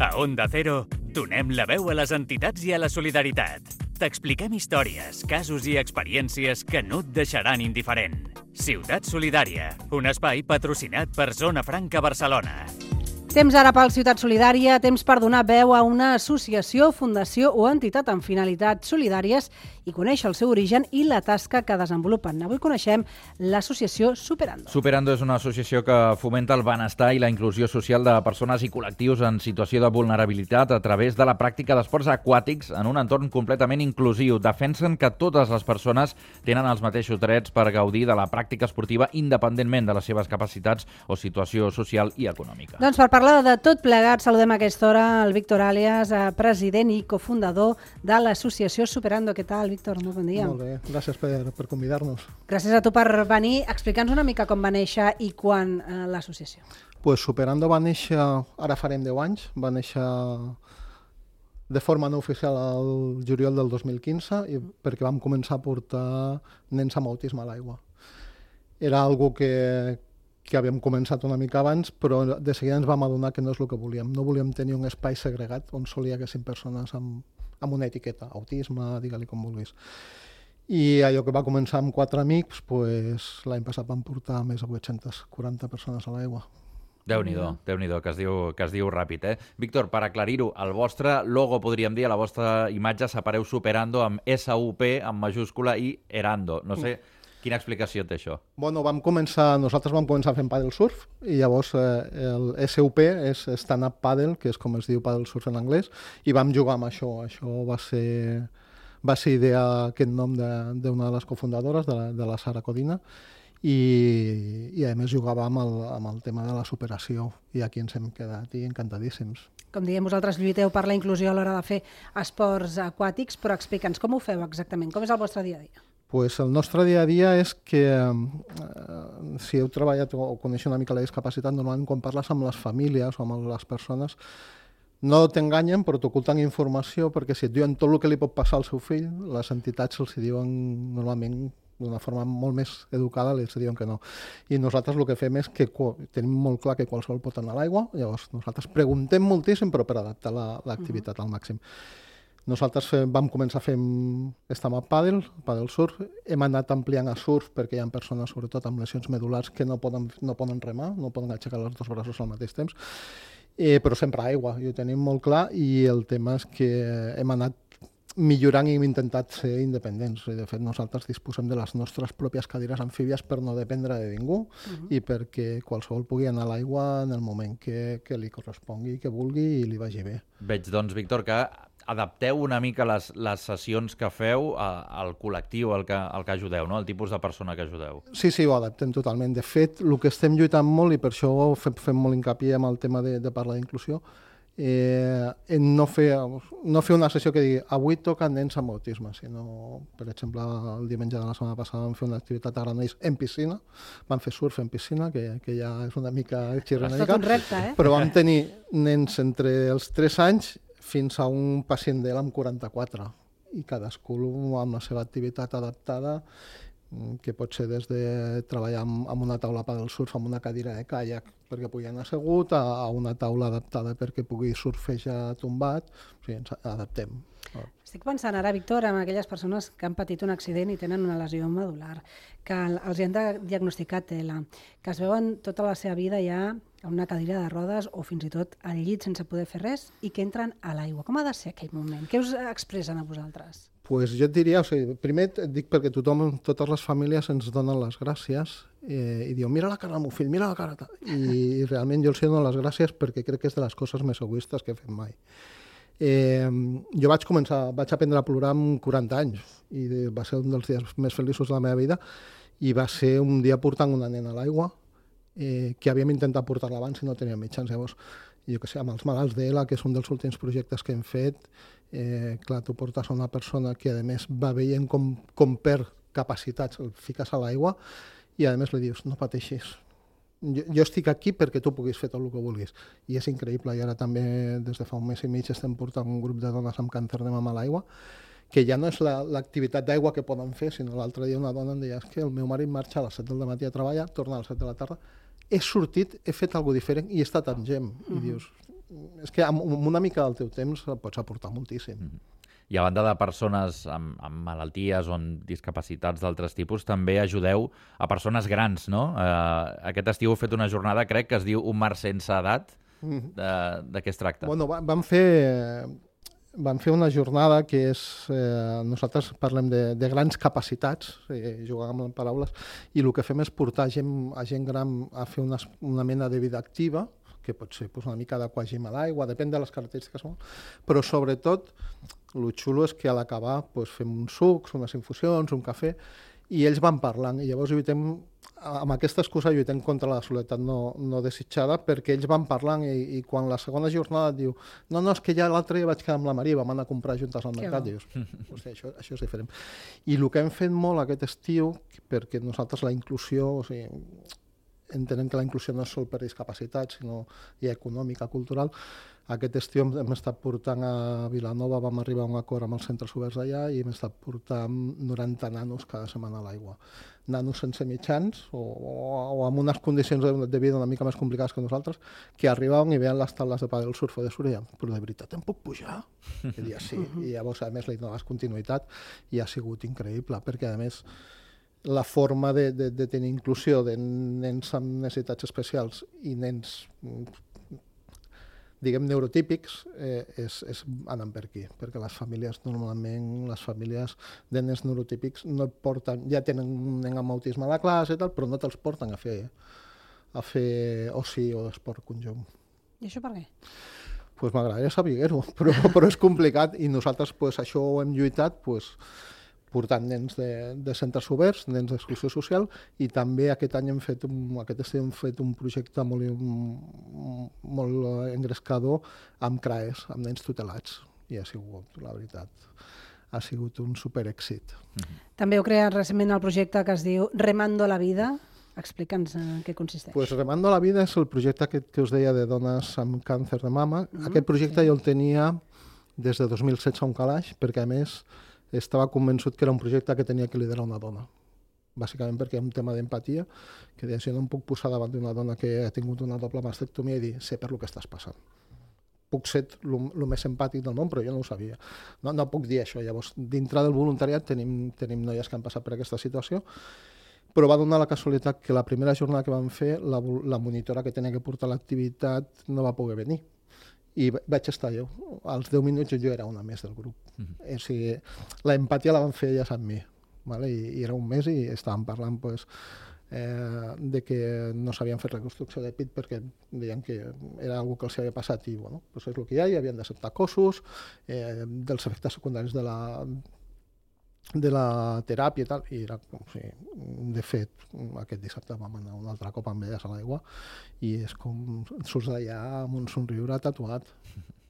A Onda Cero, donem la veu a les entitats i a la solidaritat. T'expliquem històries, casos i experiències que no et deixaran indiferent. Ciutat Solidària, un espai patrocinat per Zona Franca Barcelona. Temps ara pel Ciutat Solidària, temps per donar veu a una associació, fundació o entitat amb finalitats solidàries i conèixer el seu origen i la tasca que desenvolupen. Avui coneixem l'associació Superando. Superando és una associació que fomenta el benestar i la inclusió social de persones i col·lectius en situació de vulnerabilitat a través de la pràctica d'esports aquàtics en un entorn completament inclusiu. Defensen que totes les persones tenen els mateixos drets per gaudir de la pràctica esportiva independentment de les seves capacitats o situació social i econòmica. Doncs per parlar de tot plegat, saludem a aquesta hora el Víctor Àlies, president i cofundador de l'associació Superando. Què tal, Víctor? Molt bon dia. Molt bé, gràcies per convidar-nos. Gràcies a tu per venir. Explica'ns una mica com va néixer i quan l'associació. Pues Superando va néixer, ara farem 10 anys, va néixer de forma no oficial al juliol del 2015 perquè vam començar a portar nens amb autisme a l'aigua. Era algo que havíem començat una mica abans, però de seguida ens vam adonar que no és el que volíem. No volíem tenir un espai segregat on sols hi haguessin persones amb una etiqueta, autisme, digue-li com vulguis. I allò que va començar amb 4 amics, pues, l'any passat vam portar més de 840 persones a l'aigua. Déu-n'hi-do, que es diu ràpid, eh? Víctor, per aclarir-ho, el vostre logo, podríem dir, a la vostra imatge s'apareu Superando amb SUP, amb majúscula, i Erando. No sé... Quina explicació té això? Bueno, nosaltres vam començar fent paddle surf i llavors el SUP és Stand Up Paddle, que és com es diu paddle surf en anglès, i vam jugar amb això. Això va ser idea, aquest nom d'una de les cofundadores, de la Sara Codina, i a més jugàvem amb el tema de la superació i aquí ens hem quedat i encantadíssims. Com diem, vosaltres lluiteu per la inclusió a l'hora de fer esports aquàtics, però explica'ns com ho feu exactament, com és el vostre dia a dia? Pues el nostre dia a dia és que si heu treballat o coneixeu una mica la discapacitat, normalment quan parles amb les famílies o amb les persones no t'enganyen però t'oculten informació perquè si et diuen tot el que li pot passar al seu fill, les entitats els diuen normalment d'una forma molt més educada, els diuen que no. I nosaltres el que fem és que tenim molt clar que qualsevol pot anar a l'aigua, llavors nosaltres preguntem moltíssim però per adaptar l'activitat al màxim. Nosaltres vam començar fent stand-up paddle surf, hem anat ampliant a surf perquè hi ha persones, sobretot amb lesions medul·lars, que no poden remar, no poden aixecar els dos braços al mateix temps, però sempre a aigua, i ho tenim molt clar, i el tema és que hem anat millorant i hem intentat ser independents. De fet, nosaltres disposem de les nostres pròpies cadires amfíbies per no dependre de ningú i perquè qualsevol pugui anar a l'aigua en el moment que li correspongui, que vulgui i li vagi bé. Veig, doncs, Víctor, que adapteu una mica les sessions que feu al col·lectiu al que ajudeu, no? El tipus de persona que ajudeu. Sí, ho adaptem totalment. De fet, el que estem lluitant molt, i per això fem molt hincapié amb el tema de parlar d'inclusió, en no fer una sessió que digui avui toca nens amb autisme, sinó, per exemple, el diumenge de la setmana passada vam fer una activitat a Granollers en piscina, vam fer surf en piscina, que ja és una mica xirronèdica, tot un repte, però vam tenir nens entre els 3 anys fins a un pacient d'ell amb 44, i cadascú amb la seva activitat adaptada, que pot ser des de treballar amb una taula paddle surf amb una cadira de caiac perquè pugui anar assegut, a una taula adaptada perquè pugui surfejar tombat, o sigui, ens adaptem. Estic pensant ara, Víctor, en aquelles persones que han patit un accident i tenen una lesió medular, que els han diagnosticat TELA, que es veuen tota la seva vida ja a una cadira de rodes o fins i tot al llit sense poder fer res i que entren a l'aigua. Com ha de ser aquell moment? Què us expressen a vosaltres? Pues jo et diria, primer et dic perquè totes les famílies ens donen les gràcies i diuen mira la cara del meu fill, mira la cara. I realment jo els dono les gràcies perquè crec que és de les coses més egoistes que he fet mai. Jo vaig aprendre a plorar amb 40 anys i va ser un dels dies més feliços de la meva vida i va ser un dia portant una nena a l'aigua que havíem intentat portar-la abans i no teníem mitjans. Llavors, jo que sé, amb els malalts d'ELA, que és un dels últims projectes que hem fet, clar, tu portes a una persona que a més va veient com perd capacitats, el fiques a l'aigua i a més li dius, no pateixis, jo estic aquí perquè tu puguis fer tot el que vulguis. I és increïble, i ara també des de fa un mes i mig estem portant un grup de dones amb càncer de mama a l'aigua, que ja no és l'activitat d'aigua que poden fer, sinó l'altre dia una dona em deia que el meu marit marxa a les 7 del matí a treballar, torna a les 7 de la tarda, he sortit, he fet alguna cosa diferent i he estat amb gent. I dius, és que amb una mica del teu temps pots aportar moltíssim. I a banda de persones amb malalties o amb discapacitats d'altres tipus, també ajudeu a persones grans, no? Aquest estiu heu fet una jornada, crec, que es diu Un mar sense edat. De què es tracta? Bueno, vam fer una jornada que és... nosaltres parlem de grans capacitats, jugàvem amb paraules, i el que fem és portar a gent gran a fer una mena de vida activa, que pot ser una mica d'aquagim a l'aigua, depèn de les característiques, però sobretot el xulo és que a l'acabar fem uns sucs, unes infusions, un cafè, i ells van parlant, i llavors amb aquesta excusa lluitem contra la soledat no desitjada, perquè ells van parlant i quan la segona jornada et diu no, és que ja l'altre dia vaig quedar amb la Maria, vam anar a comprar juntes al mercat, dius, això és diferent. I el que hem fet molt aquest estiu, perquè nosaltres la inclusió, entenem que la inclusió no és sol per discapacitat, sinó ja econòmica, cultural. Aquest estiu hem estat portant a Vilanova, vam arribar a un acord amb els centres oberts d'allà i hem estat portant 90 nanos cada setmana a l'aigua. Nanos sense mitjans o amb unes condicions de vida una mica més complicades que nosaltres, que arribaven i veien les taules de pàdel surf o de surf i deien, però de veritat em puc pujar? I deia sí, i llavors a més li donaves continuïtat i ha sigut increïble, perquè a més la forma de tenir inclusió de nens amb necessitats especials i nens, diguem, neurotípics, és anant per aquí, perquè les famílies, normalment, les famílies de nens neurotípics no et porten, ja tenen un nen amb autisme a la classe i tal, però no te'ls porten a fer oci o esport conjunt. I això per què? Pues m'agradaria saber-ho, però és complicat i nosaltres això ho hem lluitat, portant nens de centres oberts, nens d'exclusió social, i també aquest any hem fet un projecte molt engrescador amb CRAES, amb nens tutelats, i ha sigut, la veritat, ha sigut un superèxit. També heu creat recentment el projecte que es diu Remando la vida. Explica'ns en què consisteix. Pues Remando la vida és el projecte que us deia de dones amb càncer de mama. Aquest projecte jo el tenia des de 2016 a un calaix, perquè a més estava convençut que era un projecte que tenia que liderar una dona. Bàsicament perquè hi ha un tema d'empatia, que deia, si no em puc posar davant d'una dona que ha tingut una doble mastectomia i dir, sé per lo que estàs passant. Puc ser el més empàtic del món, però jo no ho sabia. No puc dir això. Llavors, dintre del voluntariat tenim noies que han passat per aquesta situació, però va donar la casualitat que la primera jornada que vam fer, la monitora que tenia que portar l'activitat no va poder venir. I vaig estar jo. Als 10 minuts jo era una més del grup. O sigui, l'empatia la van fer elles amb mi. Vale? I era un mes i estàvem parlant de que no s'havien fet reconstrucció de pit perquè deien que era una que els havia passat i bueno, és el que hi ha, i havien d'acceptar cossos, dels efectes secundaris de la teràpia i tal, i era com si, de fet, aquest dissabte vam anar un altre cop amb elles a l'aigua i és com surts d'allà amb un somriure tatuat.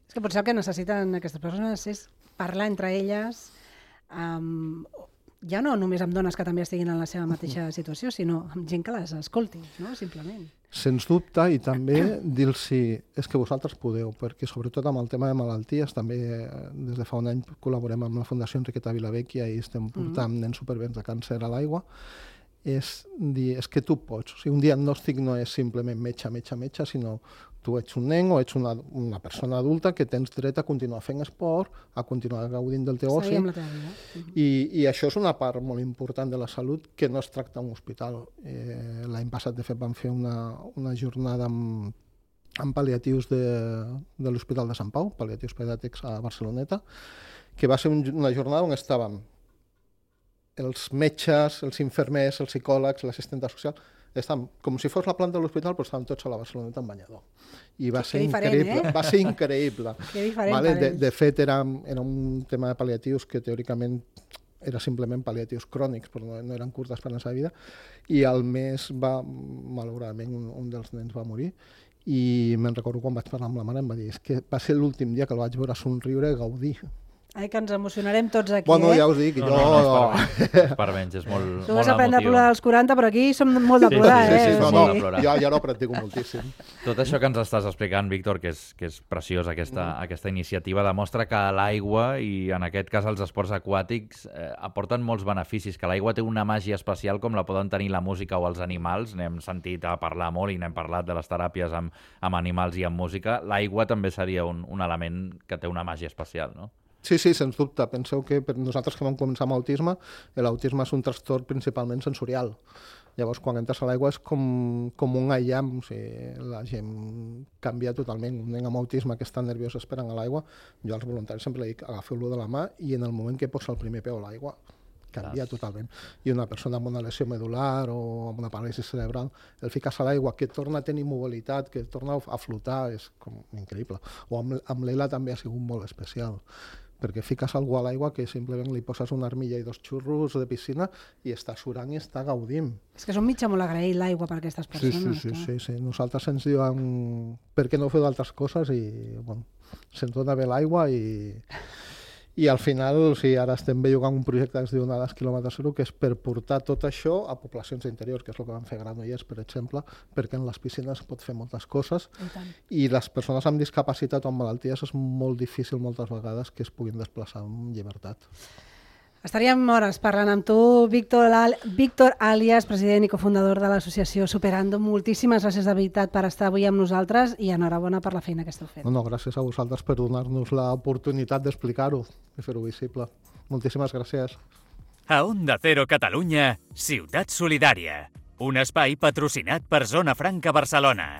És que potser el que necessiten aquestes persones és parlar entre elles, ja no només amb dones que també estiguin en la seva mateixa situació, sinó amb gent que les escolti, no? Simplement. Sens dubte, i també dir-los és que vosaltres podeu, perquè sobretot amb el tema de malalties, també des de fa un any col·laborem amb la Fundació Enriqueta Vilavecchia i estem portant nens supervivents de càncer a l'aigua, és dir, és que tu pots. O sigui, un diagnòstic no és simplement metge, sinó tu ets un nen o ets una persona adulta que tens dret a continuar fent esport, a continuar gaudint del teu oci. I això és una part molt important de la salut que no es tracta a un hospital. L'any passat, de fet, vam fer una jornada amb pal·liatius de l'Hospital de Sant Pau, pal·liatius pediàtrics a Barceloneta, que va ser una jornada on estàvem els metges, els infermers, els psicòlegs, l'assistenta social, estàvem com si fos la planta de l'hospital, però estàvem tots a la Barceloneta en banyador. I va ser increïble. Va ser increïble. Que diferent. De fet, era un tema de pal·liatius que teòricament era simplement pal·liatius crònics, però no eren curtes per la seva vida, i al mes malauradament, un dels nens va morir, i me'n recordo quan vaig parlar amb la mare, em va dir, és que va ser l'últim dia que el vaig veure somriure i gaudir. Ai, que ens emocionarem tots aquí, Bueno, ja us dic, No, no és per menys, és molt Tu vas aprendre a emotiu. plorar als 40, però aquí som molt de plorar, sí, eh? no, No, de no, plorar. jo no practico moltíssim. Tot això que ens estàs explicant, Víctor, que és preciós, aquesta iniciativa, demostra que l'aigua, i en aquest cas els esports aquàtics, aporten molts beneficis, que l'aigua té una màgia especial com la poden tenir la música o els animals. N'hem sentit a parlar molt i n'hem parlat de les teràpies amb animals i amb música. L'aigua també seria un element que té una màgia especial, no? Sí, sens dubte. Penseu que per nosaltres que vam començar amb autisme, l'autisme és un trastorn principalment sensorial. Llavors, quan entres a l'aigua és com un aïllam, o sigui, la gent canvia totalment. Un nen amb autisme que està nerviós esperant a l'aigua, jo als voluntaris sempre li dic, agafeu-lo de la mà i en el moment que posa el primer peu a l'aigua, canvia totalment. I una persona amb una lesió medular o amb una paràlisi cerebral, el fiques a l'aigua, que torna a tenir mobilitat, que torna a flotar, és com increïble. O amb l'Ela també ha sigut molt especial, perquè fiques algú a l'aigua que simplement li poses una armilla i 2 xurros de piscina i està surant i està gaudint. És que és un mitjà molt agraït l'aigua per aquestes persones. Sí. Nosaltres ens diuen per què no feu d'altres coses i bueno, se'ns dona bé l'aigua i al final, o sigui, ara estem jugant un projecte que es diu Onades quilòmetre zero, que és per portar tot això a poblacions interiors, que és el que van fer a Granollers, per exemple, perquè en les piscines pot fer moltes coses i les persones amb discapacitat o amb malalties és molt difícil moltes vegades que es puguin desplaçar amb llibertat. Estaríem hores parlant amb tu, Víctor Alias, president i cofundador de l'associació Superando. Moltíssimes gràcies de veritat per estar avui amb nosaltres i enhorabona per la feina que esteu fent. No, gràcies a vosaltres per donar-nos l'oportunitat d'explicar-ho i fer-ho visible. Moltíssimes gràcies. A Onda Cero Catalunya, Ciutat Solidària, un espai patrocinat per Zona Franca Barcelona.